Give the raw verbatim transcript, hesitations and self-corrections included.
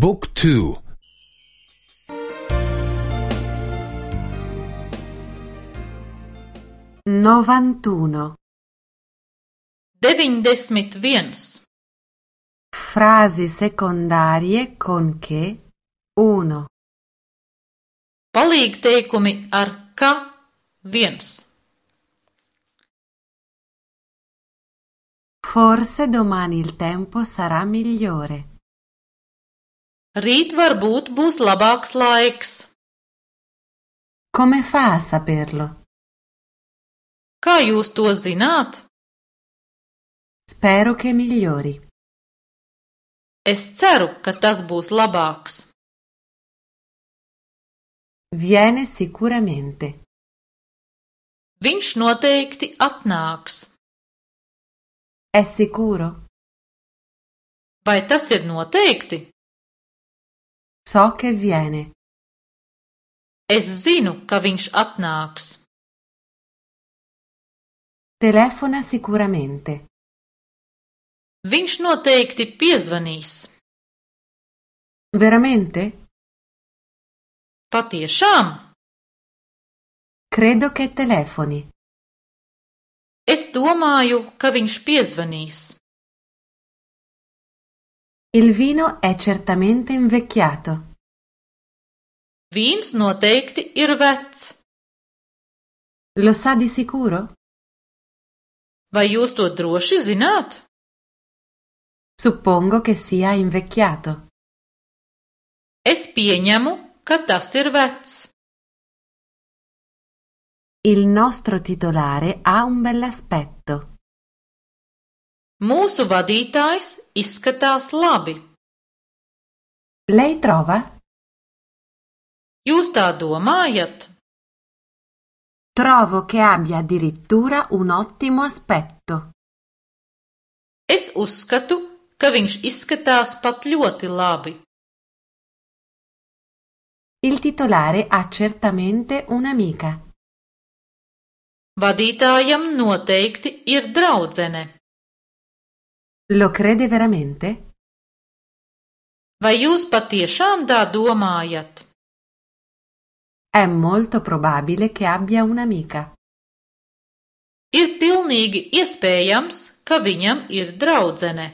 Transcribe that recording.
บุ๊กทูnovantuno. Deviņdesmit viens. Frasi secondarie con che uno. Palīgteikumi ar ka viens. Forse domani il tempo sarà migliore. Rīt varbūt būs labāks laiks. Come fa a saperlo? Kā jūs to zināt? Spero che migliori. Es ceru, ka tas būs labāks. Viene sicuramente. Viņš noteikti atnāks. È sicuro? Vai tas ir noteikti? So che viene. Es zinu, ka viņš atnāks. Telefona sicuramente. Viņš noteikti piezvanīs. Veramente? Patiešām? Credo che telefoni. Es domāju, ka viņš piezvanīs. Il vino è certamente invecchiato. Vīns noteikti ir vecs. Lo sa di sicuro? Vai jūs to droši zināt? Suppongo che sia invecchiato. Es pieņemu, ka tas ir vecs. Il nostro titolare ha un bell'aspetto. Mūsu vadītājs izskatās labi. Lei trova? Jūs tā domājat? Trovo che abbia addirittura un ottimo aspetto. Es uzskatu, ka viņš izskatās pat ļoti labi. Il titolare ha certamente un'amica. Vadītājam noteikti ir draudzene. Lo crede veramente? Vai jūs patiešām tā domājat? È molto probabile che abbia un'amica. Ir pilnīgi iespējams, ka viņam ir draudzene.